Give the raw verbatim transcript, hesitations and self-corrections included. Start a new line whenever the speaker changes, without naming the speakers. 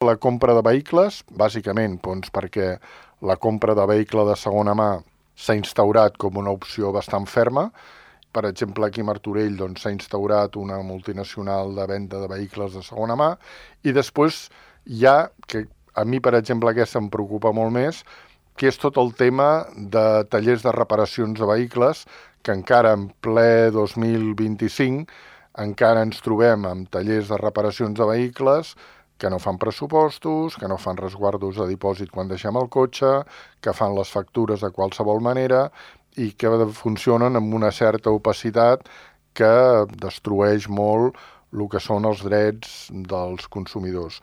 La compra de vehicles, bàsicament, doncs, perquè la compra de vehicle de segona mà s'ha instaurat com una opció bastant ferma. Per exemple, aquí a Martorell doncs, s'ha instaurat una multinacional de venda de vehicles de segona mà i després hi ha, que a mi, per exemple, aquesta em preocupa molt més, que és tot el tema de tallers de reparacions de vehicles, que encara en ple dos mil vint-i-cinc encara ens trobem amb tallers de reparacions de vehicles que no fan pressupostos, que no fan resguardos de dipòsit quan deixem el cotxe, que fan les factures de qualsevol manera i que funcionen amb una certa opacitat que destrueix molt el que són els drets dels consumidors.